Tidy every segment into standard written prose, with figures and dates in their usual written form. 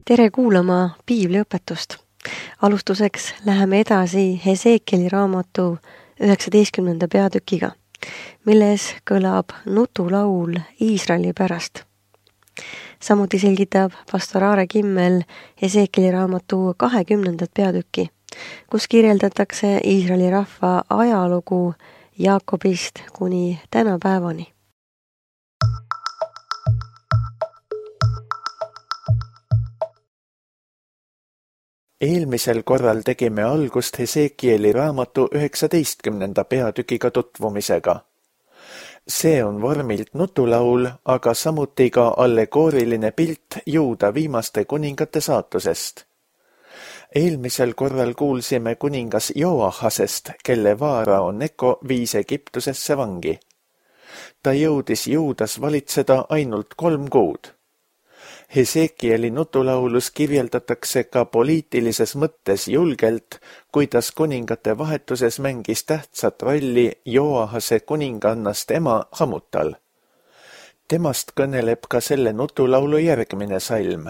Tere kuulama piibliõpetust. Alustuseks läheme edasi Hesekieli raamatu 19. peatükiga, milles kõlab nutulaul Iisraeli pärast. Samuti selgitab pastor Aare Kimmel Hesekieli raamatu 20. peatükki, kus kirjeldatakse Iisraeli rahva ajalugu Jaakobist kuni tänapäevani. Eelmisel korral tegime algust Hesekieli raamatu 19. peatükiga tutvumisega. See on vormilt nutulaul, aga samuti ka allegooriline pilt Juuda viimaste kuningate saatusest. Eelmisel korral kuulsime kuningas Joahasest, kelle Vaarao Neko viis Egiptusesse vangi. Ta jõudis Juudas valitseda ainult 3 kuud. Hesekieli nutulaulus kirjeldatakse ka poliitilises mõttes julgelt, kuidas kuningate vahetuses mängis tähtsat rolli Joahase kuningannast ema Hamutal. Temast kõneleb ka selle nutulaulu järgmine salm.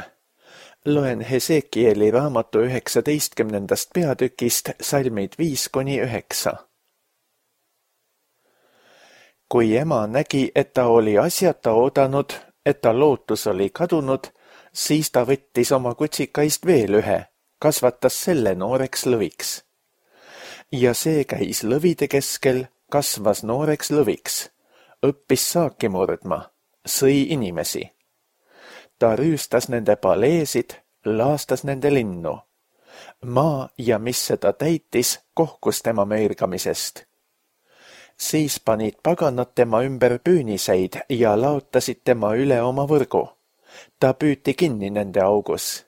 Loen Hesekieli raamatu 19. peatükist salmid 5-9. Kui ema nägi, et ta oli asjata oodanud, et ta lootus oli kadunud, siis ta võttis oma kutsikaist veel ühe, kasvatas selle nooreks lõviks. Ja see käis lõvide keskel, kasvas nooreks lõviks, õppis saaki murdma, sõi inimesi. Ta rüüstas nende paleesid, laastas nende linnu. Maa ja mis seda täitis, kohkus tema möirgamisest. Siis panid paganad tema ümber püüniseid ja laotasid tema üle oma võrgu. Ta püüti kinni nende augus.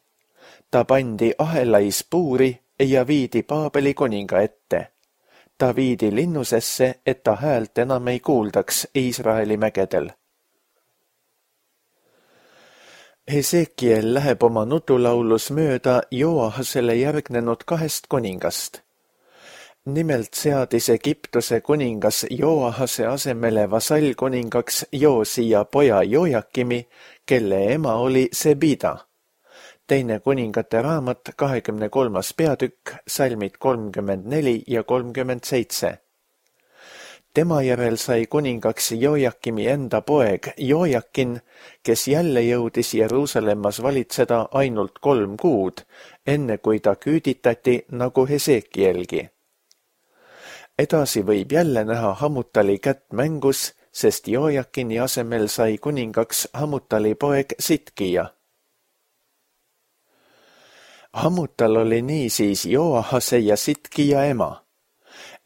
Ta pandi ahelais puuri ja viidi Paabeli kuninga ette. Ta viidi linnusesse, et ta häält enam ei kuuldaks Iisraeli mägedel. Hesekiel läheb oma nutulaulus mööda Joahasele järgnenud 2 kuningast. Nimelt seadis Egiptuse kuningas Joahase asemele vasallkuningaks Joosia poja Jojakimi, kelle ema oli Sebida. Teine kuningate raamat 23. peatükk, salmid 34 ja 37. Tema järel sai kuningaks Jojakimi enda poeg Jojakin, kes jälle jõudis Jeruusalemmas valitseda ainult 3 kuud, enne kui ta küüditati nagu Hesekielgi. Edasi võib jälle näha Hamutali kätt mängus, sest Jojakini asemel sai kuningaks Hamutali poeg Sitkija. Hamutal oli niisiis Joahase ja Sitkija ema.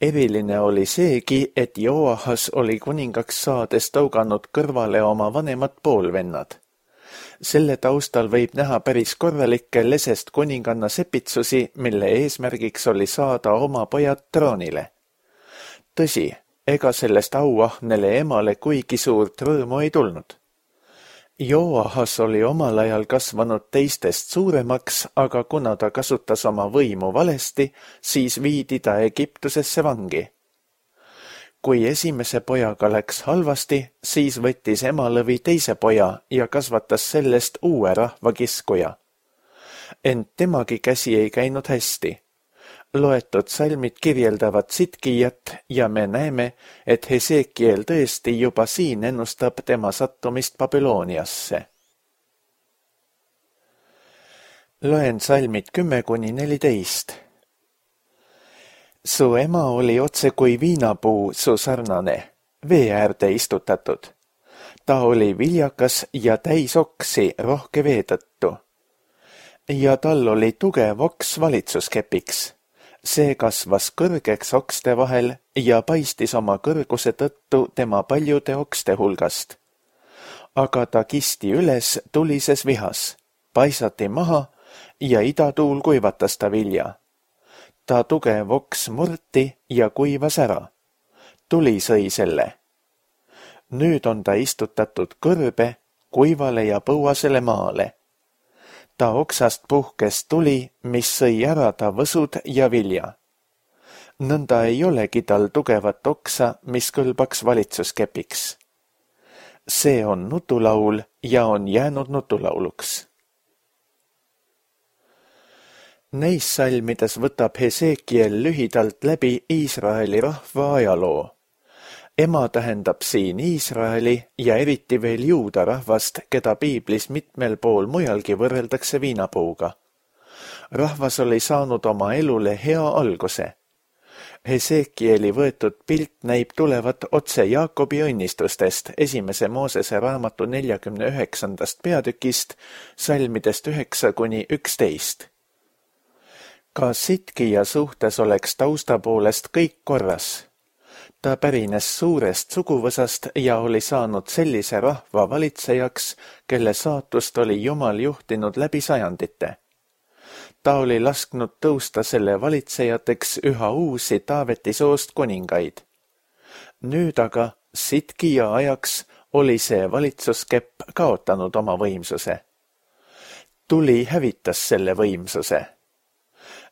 Eriline oli seegi, et Joahas oli kuningaks saades tõuganud kõrvale oma vanemad poolvennad. Selle taustal võib näha päris korralikke lesest kuninganna sepitsusi, mille eesmärgiks oli saada oma pojad troonile. Tõsi, ega sellest auahnele emale kuigi suurt rõõmu ei tulnud. Joahas oli omal ajal kasvanud teistest suuremaks, aga kuna ta kasutas oma võimu valesti, siis viidi ta Egiptusesse vangi. Kui esimese pojaga läks halvasti, siis võttis ema lõvi teise poja ja kasvatas sellest uue rahvakiskuja. Ent temagi käsi ei käinud hästi. Loetud salmid kirjeldavad Sitkijat ja me näeme, et Hesekiel tõesti juba siin ennustab tema sattumist Babyloniasse. Loen salmid 10-14. Su ema oli otse kui viinapuu su sarnane, vee äärde istutatud. Ta oli viljakas ja täis oksi rohke vee tõttu. Ja tal oli tugev oks valitsuskepiks. See kasvas kõrgeks okste vahel ja paistis oma kõrguse tõttu tema paljude okste hulgast. Aga ta kisti üles tulises vihas, paisati maha ja idatuul kuivatas ta vilja. Ta tugev oks murti ja kuivas ära. Tuli sõi selle. Nüüd on ta istutatud kõrbe, kuivale ja põuasele maale. Ta oksast puhkes tuli, mis sõi ära ta võsud ja vilja. Nõnda ei olegi tal tugevat oksa, mis kõlbaks valitsuskepiks. See on nutulaul ja on jäänud nutulauluks. Neis salmides võtab Hesekiel lühidalt läbi Iisraeli rahva ajaloo. Ema tähendab siin Iisraeli ja eriti veel juuda rahvast, keda piiblis mitmel pool mujalgi võrreldakse viinapuuga. Rahvas oli saanud oma elule hea alguse. Hesekieli võetud pilt näib tulevat otse Jaakobi õnnistustest 1. Moosese raamatu 49. peatükist, salmidest 9–11. Ka Sitkija suhtes oleks tausta poolest kõik korras. Ta pärines suurest suguvõsast ja oli saanud sellise rahva valitsejaks, kelle saatust oli Jumal juhtinud läbi sajandite. Ta oli lasknud tõusta selle valitsejateks üha uusi Taaveti soost kuningaid. Nüüd aga Sitkija ajaks oli see valitsuskepp kaotanud oma võimsuse. Tuli hävitas selle võimsuse.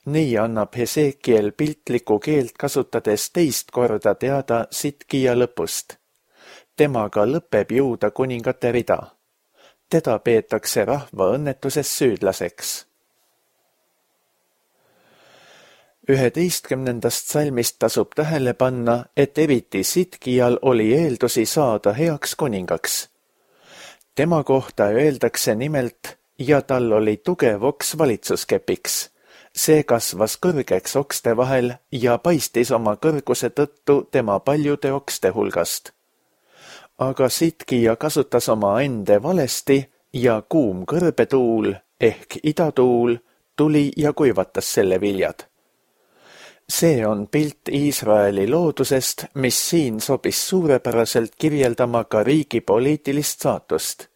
Nii annab Hesekiel piltlikku keelt kasutades teist korda teada Sitkija lõpust. Temaga lõpeb juuda kuningate rida. Teda peetakse rahva õnnetuses süüdlaseks. 11. salmist tasub tähele panna, et eriti Sitkijal oli eeldusi saada heaks kuningaks. Tema kohta öeldakse nimelt, ja tal oli tugev oks valitsuskepiks. See kasvas kõrgeks okste vahel ja paistis oma kõrguse tõttu tema paljude okste hulgast. Aga Sitkija kasutas oma ende valesti ja kuum kõrbetuul ehk idatuul tuli ja kuivatas selle viljad. See on pilt Iisraeli loodusest, mis siin sobis suurepäraselt kirjeldama ka riigi poliitilist saatust.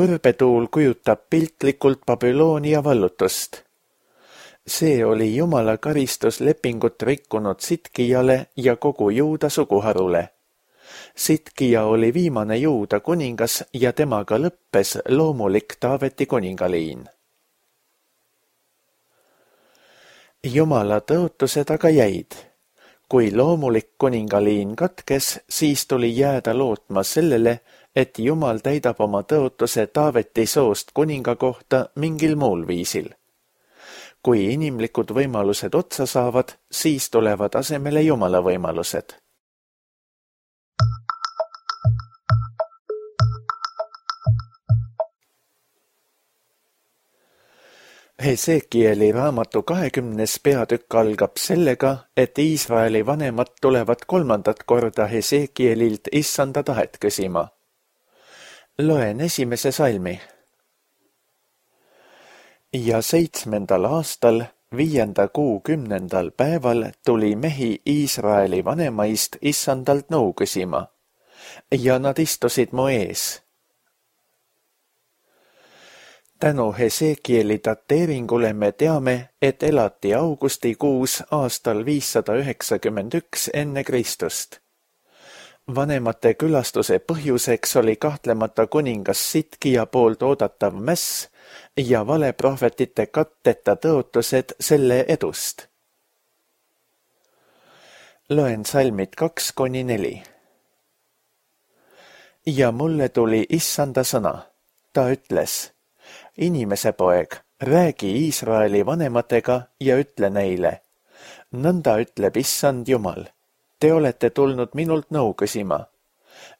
Kõrbetuul kujutab piltlikult Babyloonia vallutust. See oli Jumala karistuslepingut rikkunud Sitkijale ja kogu juuda suguharule. Sitkija oli viimane juuda kuningas ja temaga lõppes loomulik Taaveti kuningaliin. Jumala tõotused aga jäid. Kui loomulik kuningaliin katkes, siis tuli jääda lootma sellele, et Jumal täidab oma tõotuse Taaveti soost kuninga kohta mingil muul viisil. Kui inimlikud võimalused otsa saavad, siis tulevad asemele Jumala võimalused. Hesekieli raamatu 20. peatükk algab sellega, et Iisraeli vanemad tulevad 3. korda Hesekielilt issanda tahet küsima. Loen 1. salmi. Ja 7. aastal, 5. kuu 10. päeval tuli mehi Iisraeli vanemaist issandalt nõu küsima. Ja nad istusid mu ees. Tänu Hesekieli dateeringule me teame, et elati augustikuus aastal 591 enne Kristust. Vanemate külastuse põhjuseks oli kahtlemata kuningas Sitkija poolt oodatav mäss ja valeprohvetite katteta tõotused selle edust. Loen salmid 2–4. Ja mulle tuli issanda sõna. Ta ütles, inimese poeg, räägi Iisraeli vanematega ja ütle neile. Nõnda ütleb issand Jumal. Te olete tulnud minult nõu küsima.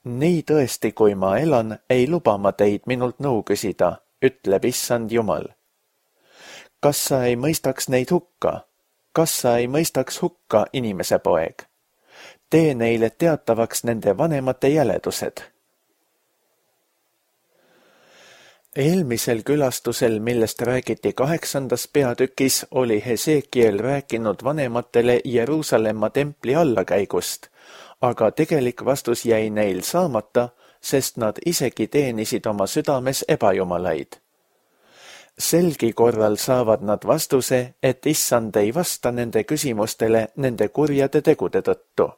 Nii tõesti, kui ma elan, ei luba ma teid minult nõu küsida, ütleb issand Jumal. Kas sa ei mõistaks neid hukka? Kas sa ei mõistaks hukka, inimese poeg? Tee neile teatavaks nende vanemate jäledused. Eelmisel külastusel, millest räägiti 8. peatükis, oli Hesekiel rääkinud vanematele Jeruusalemma templi allakäigust, aga tegelik vastus jäi neil saamata, sest nad isegi teenisid oma südames ebajumalaid. Selgi korral saavad nad vastuse, et issand ei vasta nende küsimustele nende kurjade tegude tõttu.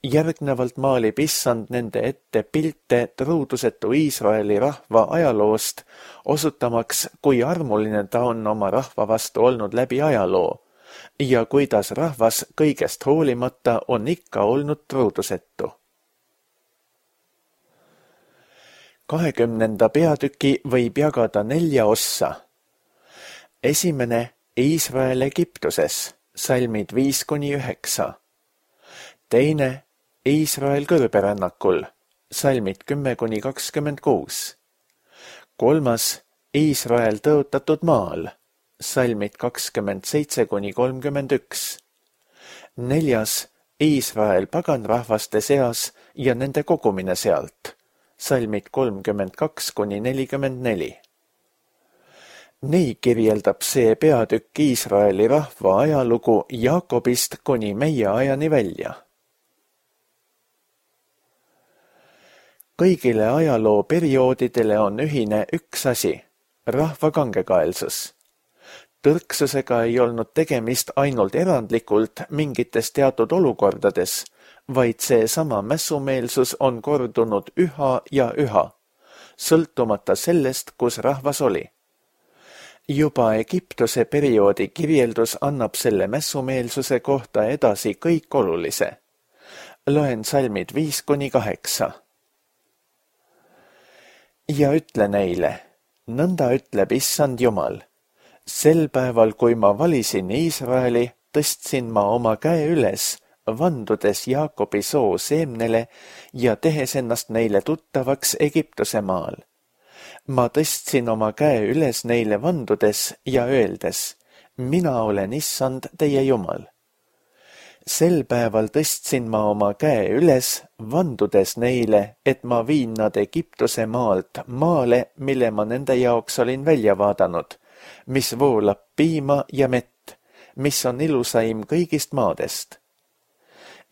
Järgnevalt maalib issand nende ette pilte truudusetu Iisraeli rahva ajaloost, osutamaks, kui armuline ta on oma rahva vastu olnud läbi ajaloo ja kuidas rahvas kõigest hoolimata on ikka olnud truudusetu. 20. peatüki võib jagada 4 ossa. esimene Iisrael Egiptuses, salmid 5-9. teine Iisrael kõrberännakul, salmid 10-26. kolmas Iisrael tõotatud maal, salmid 27-31. neljas Iisrael paganrahvaste seas ja nende kogumine sealt, salmid 32-44. Nii kirjeldab see peatükk Iisraeli rahva ajalugu Jaakobist kuni meie ajani välja. Kõigile ajaloo perioodidele on ühine üks asi, rahva kangekaelsus. Tõrksusega ei olnud tegemist ainult erandlikult mingites teatud olukordades, vaid seesama mässumeelsus on kordunud üha ja üha, sõltumata sellest, kus rahvas oli. Juba Egiptuse perioodi kirjeldus annab selle mässumeelsuse kohta edasi kõik olulise. Loen salmid 5-8. Ja ütle neile, nõnda ütleb Issand Jumal. Sel päeval, kui ma valisin Iisraeli, tõstsin ma oma käe üles, vandudes Jaakobi soo seemnele ja tehes ennast neile tuttavaks Egiptuse maal. Ma tõstsin oma käe üles neile vandudes ja öeldes, mina olen Issand teie Jumal. Sel päeval tõstsin ma oma käe üles, vandudes neile, et ma viin nad Egiptuse maalt maale, mille ma nende jaoks olin välja vaadanud, mis voolab piima ja mett, mis on ilusaim kõigist maadest.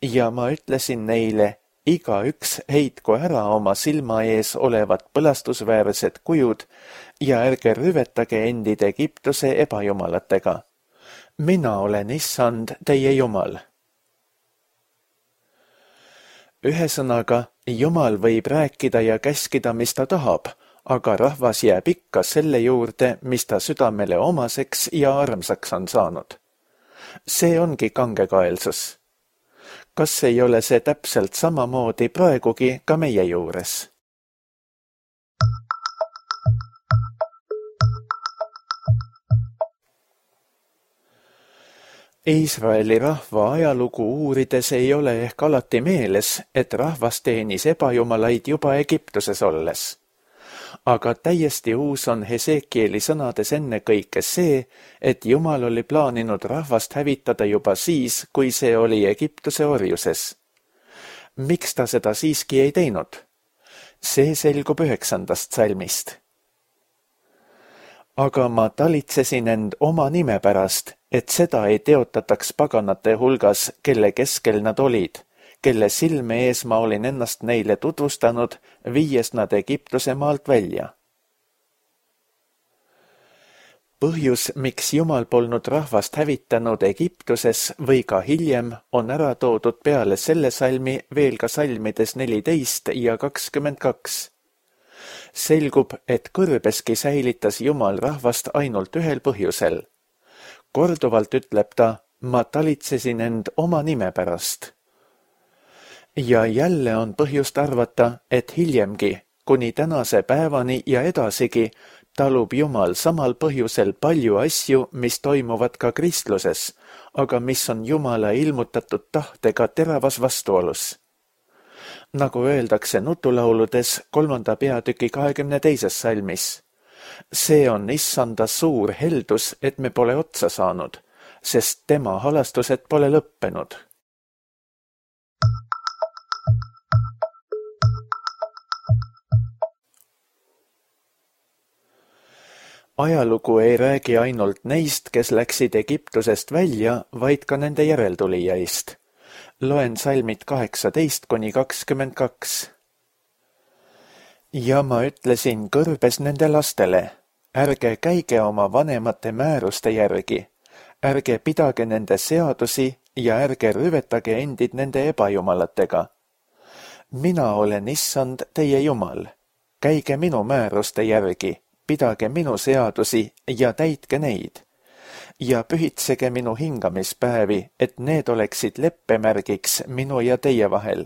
Ja ma ütlesin neile, igaüks heitku ära oma silma ees olevad põlastusväärsed kujud ja ärge rüvetage endid Egiptuse ebajumalatega. Mina olen Issand teie Jumal. Ühesõnaga, Jumal võib rääkida ja käskida, mis ta tahab, aga rahvas jääb ikka selle juurde, mis ta südamele omaseks ja armsaks on saanud. See ongi kangekaelsus. Kas ei ole see täpselt samamoodi praegugi ka meie juures? Iisraeli rahva ajalugu uurides ei ole ehk alati meeles, et rahvas teenis ebajumalaid juba Egiptuses olles. Aga täiesti uus on Hesekieli sõnades ennekõike see, et Jumal oli plaaninud rahvast hävitada juba siis, kui see oli Egiptuse orjuses. Miks ta seda siiski ei teinud? See selgub 9. salmist. Aga ma talitsesin end oma nime pärast, et seda ei teotataks paganate hulgas, kelle keskel nad olid, kelle silme ees ma olin ennast neile tutvustanud, viies nad Egiptuse maalt välja. Põhjus, miks Jumal polnud rahvast hävitanud Egiptuses või ka hiljem, on ära toodud peale selle salmi veel ka salmides 14 ja 22. Selgub, et kõrbeski säilitas Jumal rahvast ainult ühel põhjusel. Korduvalt ütleb ta, ma talitsesin end oma nime pärast. Ja jälle on põhjust arvata, et hiljemgi, kuni tänase päevani ja edasigi, talub Jumal samal põhjusel palju asju, mis toimuvad ka kristluses, aga mis on Jumala ilmutatud tahtega teravas vastuolus. Nagu öeldakse nutulauludes 3. peatüki 22. salmis. See on Issanda suur heldus, et me pole otsa saanud, sest tema halastused pole lõppenud. Ajalugu ei räägi ainult neist, kes läksid Egiptusest välja, vaid ka nende järeltulijaist. Loen salmid 18-22. Ja ma ütlesin kõrbes nende lastele, ärge käige oma vanemate määruste järgi, ärge pidage nende seadusi ja ärge rüvetage endid nende ebajumalatega. Mina olen Issand teie Jumal, käige minu määruste järgi, pidage minu seadusi ja täitke neid. Ja pühitsege minu hingamispäevi, et need oleksid leppemärgiks minu ja teie vahel.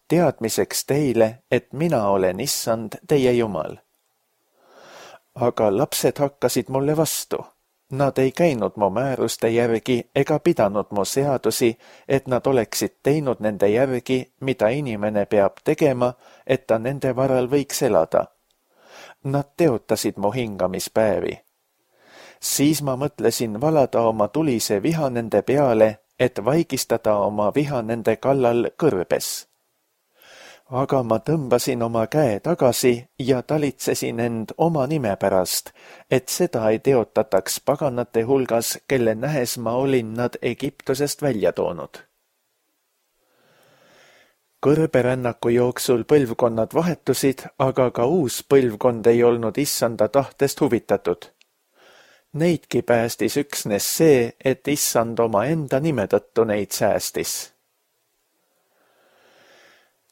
Teadmiseks teile, et mina olen Issand teie Jumal. Aga lapsed hakkasid mulle vastu. Nad ei käinud mu määruste järgi ega pidanud mu seadusi, et nad oleksid teinud nende järgi, mida inimene peab tegema, et ta nende varal võiks elada. Nad teotasid mu hingamispäevi. Siis ma mõtlesin valada oma tulise viha nende peale, et vaigistada oma viha nende kallal kõrbes. Aga ma tõmbasin oma käe tagasi ja talitsesin end oma nime pärast, et seda ei teotataks paganate hulgas, kelle nähes ma olin nad Egiptusest välja toonud. Kõrberännaku jooksul põlvkonnad vahetusid, aga ka uus põlvkond ei olnud issanda tahtest huvitatud. Neidki päästis üksnes see, et issand oma enda nime tõttu neid säästis.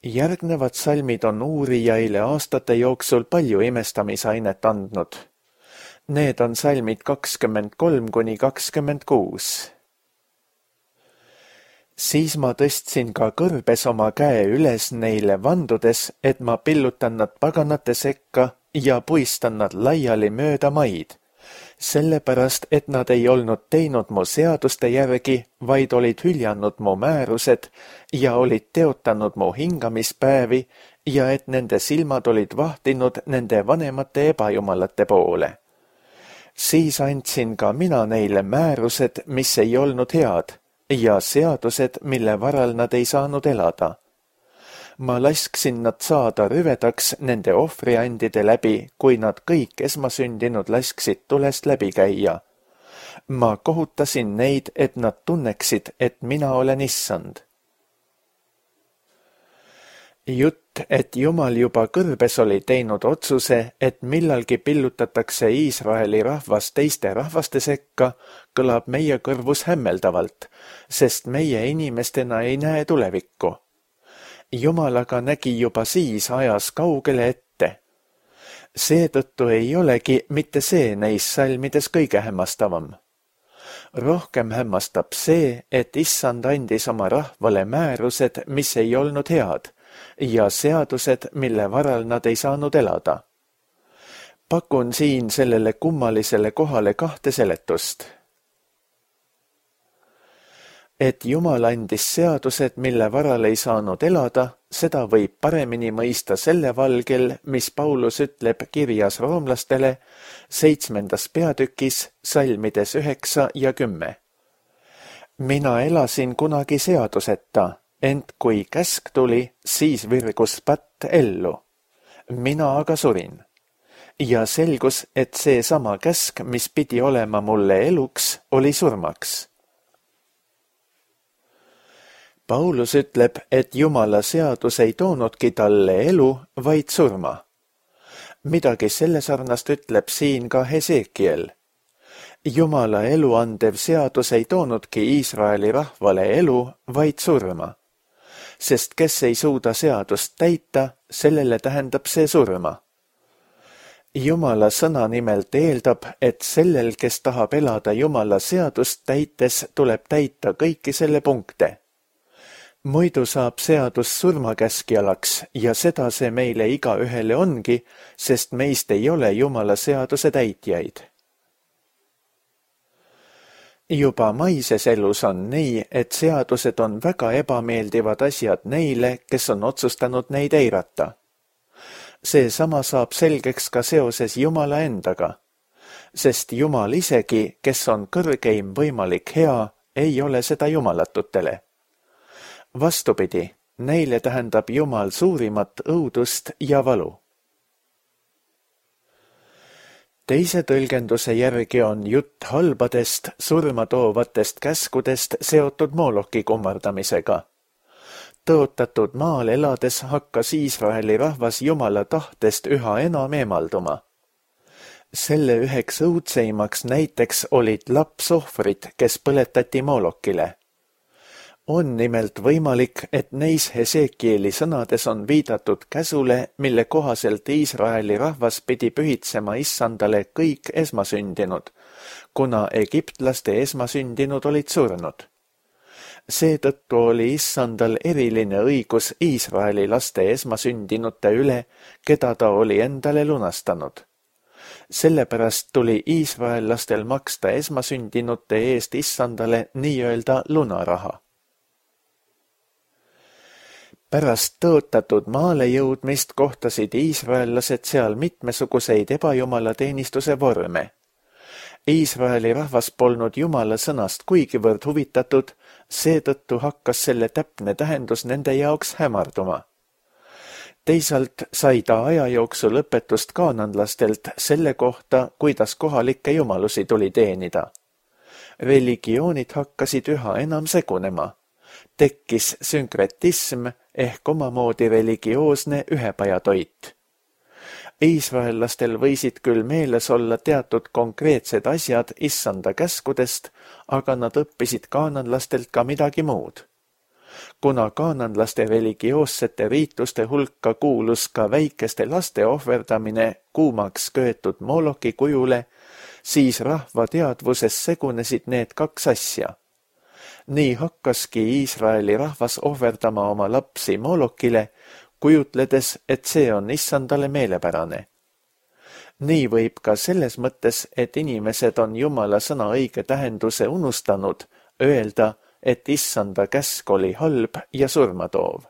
Järgnevad salmid on uurijaile aastate jooksul palju imestamisainet andnud. Need on salmid 23–26. Siis ma tõstsin ka kõrbes oma käe üles neile vandudes, et ma pillutan nad paganate sekka ja puistan nad laiali mööda maid, sellepärast, et nad ei olnud teinud mu seaduste järgi, vaid olid hüljanud mu määrused ja olid teotanud mu hingamispäevi ja et nende silmad olid vahtinud nende vanemate ebajumalate poole. Siis andsin ka mina neile määrused, mis ei olnud head, ja seadused, mille varal nad ei saanud elada. Ma lasksin nad saada rüvedaks nende ohvriandide läbi, kui nad kõik esmasündinud lasksid tulest läbi käia. Ma kohutasin neid, et nad tunneksid, et mina olen issand. Jutt, et Jumal juba kõrbes oli teinud otsuse, et millalgi pillutatakse Iisraeli rahvas teiste rahvaste sekka, kõlab meie kõrvus hämmeldavalt, sest meie inimestena ei näe tulevikku. Jumal aga nägi juba siis ajas kaugele ette. Seetõttu ei olegi mitte see neis salmides kõige hämmastavam. Rohkem hämmastab see, et issand andis oma rahvale määrused, mis ei olnud head, ja seadused, mille varal nad ei saanud elada. Pakun siin sellele kummalisele kohale 2 seletust. Et Jumal andis seadused, mille varal ei saanud elada, seda võib paremini mõista selle valgel, mis Paulus ütleb kirjas roomlastele 7. peatükis salmides 9 ja 10. Mina elasin kunagi seaduseta, ent kui käsk tuli, siis virgus patt ellu. Mina aga surin. Ja selgus, et see sama käsk, mis pidi olema mulle eluks, oli surmaks. Paulus ütleb, et Jumala seadus ei toonudki talle elu, vaid surma. Midagi selle sarnast ütleb siin ka Hesekiel. Jumala elu andev seadus ei toonudki Iisraeli rahvale elu, vaid surma. Sest kes ei suuda seadust täita, sellele tähendab see surma. Jumala sõna nimelt eeldab, et sellel, kes tahab elada Jumala seadust täites, tuleb täita kõiki selle punkte. Muidu saab seadus surmakäskjalaks ja seda see meile igaühele ongi, sest meist ei ole Jumala seaduse täitjaid. Juba maises elus on nii, et seadused on väga ebameeldivad asjad neile, kes on otsustanud neid eirata. Seesama saab selgeks ka seoses Jumala endaga, sest Jumal isegi, kes on kõrgeim võimalik hea, ei ole seda jumalatutele. Vastupidi, neile tähendab Jumal suurimat õudust ja valu. Teise tõlgenduse järgi on jutt halbadest, surma toovatest käskudest seotud Mooloki kummardamisega. Tõotatud maal elades hakkas Iisraeli rahvas Jumala tahtest üha enam eemalduma. Selle üheks õudseimaks näiteks olid lapsohvrid, kes põletati Moolokile. On nimelt võimalik, et neis Hesekieli sõnades on viidatud käsule, mille kohaselt Iisraeli rahvas pidi pühitsema issandale kõik esmasündinud, kuna egiptlaste esmasündinud olid surnud. Seetõttu oli issandal eriline õigus Iisraeli laste esmasündinute üle, keda ta oli endale lunastanud. Sellepärast tuli iisraellastel maksta esmasündinute eest issandale nii-öelda lunaraha. Pärast tõotatud maale jõudmist kohtasid iisraellased seal mitmesuguseid ebajumalateenistuse vorme. Iisraeli rahvas polnud Jumala sõnast kuigivõrd huvitatud, seetõttu hakkas selle täpne tähendus nende jaoks hämarduma. Teisalt sai ta aja jooksul õpetust kaananlastelt selle kohta, kuidas kohalikke jumalusi tuli teenida. Religioonid hakkasid üha enam segunema. Tekkis sünkretism ehk omamoodi religioosne ühepajatoit. Iisraellastel võisid küll meeles olla teatud konkreetsed asjad issanda käskudest, aga nad õppisid kaananlastelt ka midagi muud. Kuna kaananlaste religioossete riituste hulka kuulus ka väikeste laste ohverdamine kuumaks köetud Moloki kujule, siis rahva teadvuses segunesid need kaks asja. Nii hakkaski Iisraeli rahvas ohverdama oma lapsi Molokile, kujutledes, et see on issandale meelepärane. Nii võib ka selles mõttes, et inimesed on Jumala sõna õige tähenduse unustanud, öelda, et issanda käsk oli halb ja surmatoov.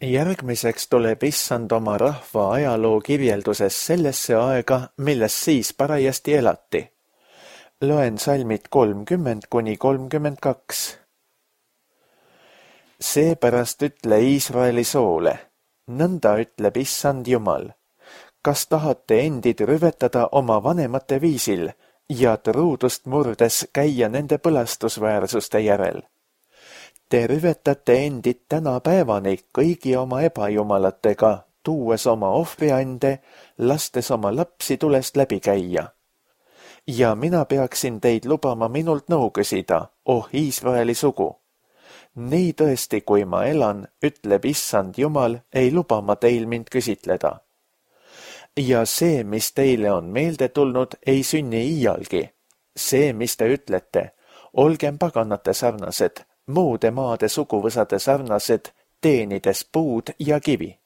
Järgmiseks tuleb issand oma rahva ajaloo kirjelduses sellesse aega, milles siis parajasti elati. Loen salmid 30–32. Seepärast ütle Iisraeli soole, nõnda ütleb issand Jumal. Kas tahate endid rüvetada oma vanemate viisil ja truudust murdes käia nende põlastusväärsuste järel? Te rüvetate endid tänapäevani kõigi oma ebajumalatega, tuues oma ohvriande, lastes oma lapsi tulest läbi käia. Ja mina peaksin teid lubama minult nõu küsida, oh Iisraeli sugu. Nii tõesti, kui ma elan, ütleb issand Jumal, ei luba ma teil mind küsitleda. Ja see, mis teile on meelde tulnud, ei sünni iialgi. See, mis te ütlete, olgem paganate sarnased, muude maade suguvõsade sarnased, teenides puud ja kivi.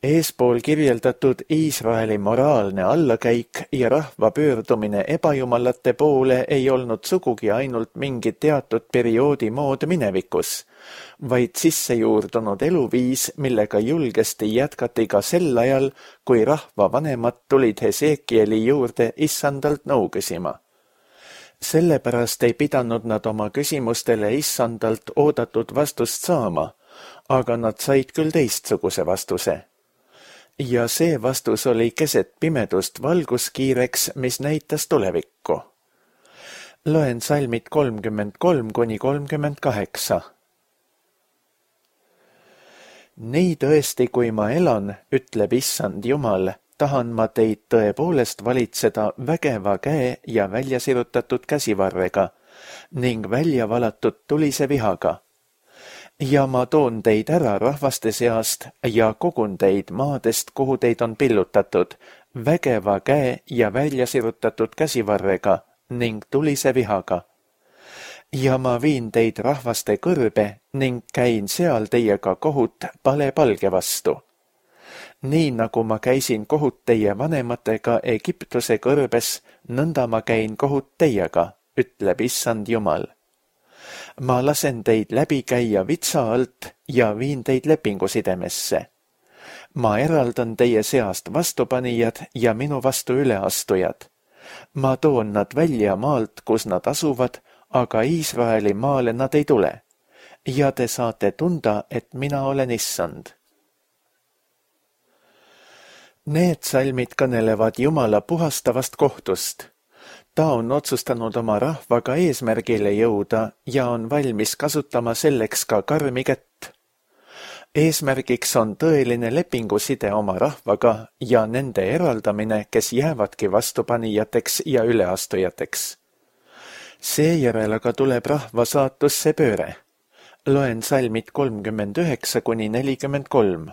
Eespool kirjeldatud Iisraeli moraalne allakäik ja rahva pöördumine ebajumalate poole ei olnud sugugi ainult mingi teatud perioodi mood minevikus, vaid sissejuurdunud eluviis, millega julgesti jätkati ka sel ajal, kui rahva vanemad tulid Hesekieli juurde issandalt nõu küsima. Sellepärast ei pidanud nad oma küsimustele issandalt oodatud vastust saama, aga nad said küll teistsuguse vastuse. Ja see vastus oli keset pimedust valguskiireks, mis näitas tulevikku. Loen salmid 33–38. Nii tõesti, kui ma elan, ütleb issand Jumal, tahan ma teid tõepoolest valitseda vägeva käe ja väljasirutatud käsivarrega ning välja valatud tulise vihaga. Ja ma toon teid ära rahvaste seast ja kogun teid maadest, kuhu teid on pillutatud, vägeva käe ja väljasirutatud käsivarrega ning tulise vihaga. Ja ma viin teid rahvaste kõrbe ning käin seal teiega kohut palepalge vastu. Nii nagu ma käisin kohut teie vanematega Egiptuse kõrbes, nõnda ma käin kohut teiega, ütleb issand Jumal. Ma lasen teid läbi käia vitsa alt ja viin teid lepingusidemesse. Ma eraldan teie seast vastupanijad ja minu vastu üleastujad. Ma toon nad välja maalt, kus nad asuvad, aga Iisraeli maale nad ei tule. Ja te saate tunda, et mina olen issand. Need salmid kõnelevad Jumala puhastavast kohtust. Ta on otsustanud oma rahvaga eesmärgile jõuda ja on valmis kasutama selleks ka karmi kätt. Eesmärgiks on tõeline lepinguside oma rahvaga ja nende eraldamine, kes jäävadki vastupanijateks ja üleastujateks. Seejärel aga tuleb rahva saatusse pööre. Loen salmid 39–43.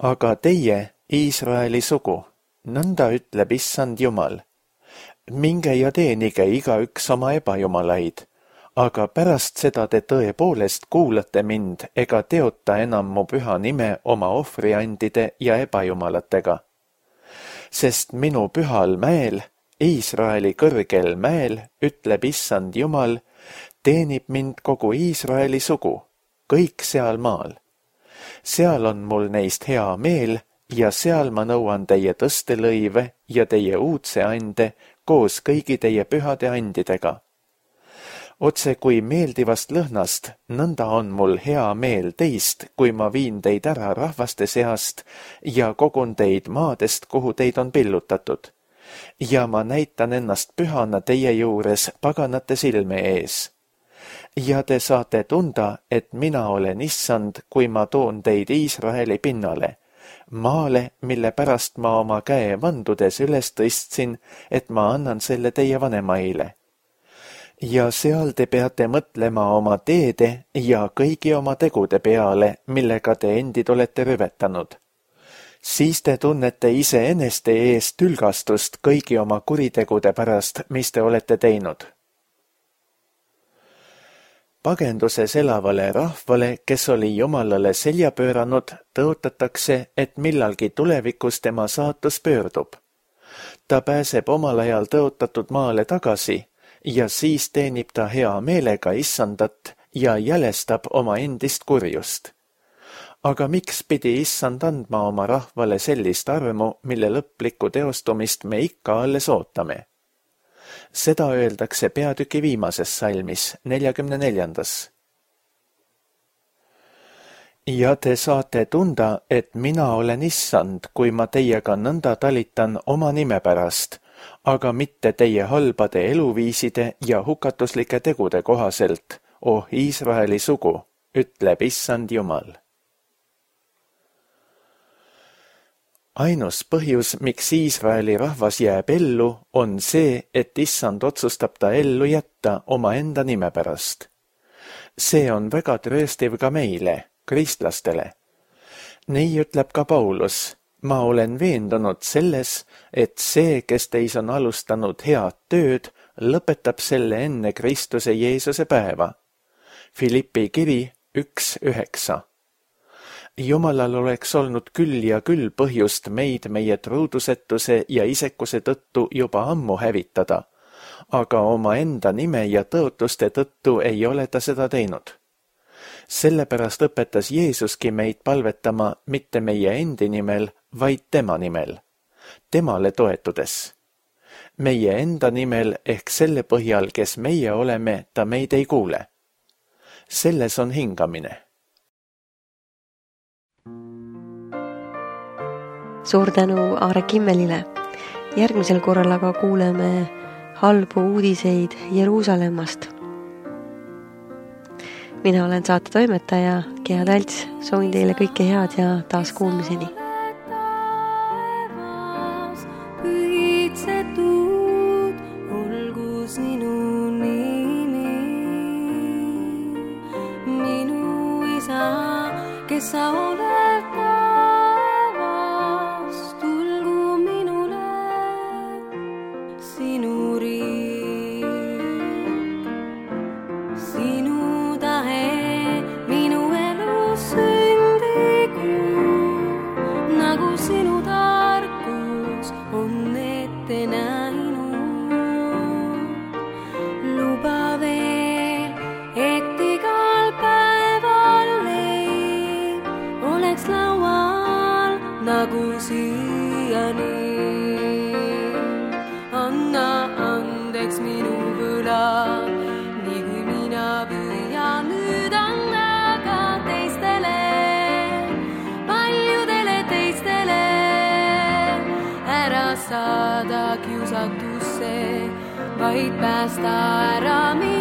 Aga teie, Iisraeli sugu, nõnda ütleb issand Jumal. minge ja teenige igaüks oma ebajumalaid, aga pärast seda te tõepoolest kuulate mind ega teota enam mu püha nime oma ohvriandide ja ebajumalatega. Sest minu pühal mäel, Iisraeli kõrgel mäel, ütleb Issand Jumal, teenib mind kogu Iisraeli sugu, kõik seal maal. Seal on mul neist hea meel ja seal ma nõuan teie tõstelõive ja teie uudse ande koos kõigi teie pühade andidega. Otse kui meeldivast lõhnast, nõnda on mul hea meel teist, kui ma viin teid ära rahvaste seast ja kogun teid maadest, kuhu teid on pillutatud. Ja ma näitan ennast pühana teie juures paganate silme ees. Ja te saate tunda, et mina olen Issand, kui ma toon teid Iisraeli pinnale, maale, mille pärast ma oma käe vandudes üles tõstsin, et ma annan selle teie vanemaile. Ja seal te peate mõtlema oma teede ja kõigi oma tegude peale, millega te endid olete rüvetanud. Siis te tunnete iseeneste eest tülgastust kõigi oma kuritegude pärast, mis te olete teinud. Pagenduses elavale rahvale, kes oli Jumalale selja pööranud, tõotatakse, et millalgi tulevikus tema saatus pöördub. Ta pääseb omal ajal tõotatud maale tagasi ja siis teenib ta hea meelega Issandat ja jälestab oma endist kurjust. Aga miks pidi Issand andma oma rahvale sellist armu, mille lõplikku teostumist me ikka alles ootame? Seda öeldakse peatüki viimases salmis, 44. Ja te saate tunda, et mina olen Issand, kui ma teiega nõnda talitan oma nime pärast, aga mitte teie halbade eluviiside ja hukatuslike tegude kohaselt, oh Iisraeli sugu, ütleb Issand Jumal. Ainus põhjus, miks Iisraeli rahvas jääb ellu, on see, et Issand otsustab ta ellu jätta oma enda nime pärast. See on väga trööstiv ka meile, kristlastele. Nii ütleb ka Paulus, ma olen veendunud selles, et see, kes teis on alustanud head tööd, lõpetab selle enne Kristuse Jeesuse päeva. Filippi kiri 1:9. Jumalal oleks olnud küll ja küll põhjust meid meie truudusetuse ja isekuse tõttu juba ammu hävitada, aga oma enda nime ja tõotuste tõttu ei ole ta seda teinud. Sellepärast õpetas Jeesuski meid palvetama mitte meie endi nimel, vaid tema nimel, temale toetudes. Meie enda nimel ehk selle põhjal, kes meie oleme, ta meid ei kuule. Selles on hingamine. Suur tänu Aare Kimmelile. Järgmisel korral aga kuuleme halbu uudiseid Jeruusalemmast. Mina olen saate toimetaja Gea Talts, soovin teile kõike head ja taas kuulmiseni. Pühitsetud olgu sinu nimi, minu isa, kes sa oled taevas, tulgu minule sinu riik, sinu tahe minu elus sündigu, nagu sinu tarkus on ette näinud. Luba veel, et igal päeval leib oleks laual nagu siiani. Anna andeks minu võlad, nii kui mina püüan nüüd anda ka teistele, paljudele teistele, ära saada kiusatusse, vaid päästa ära mind.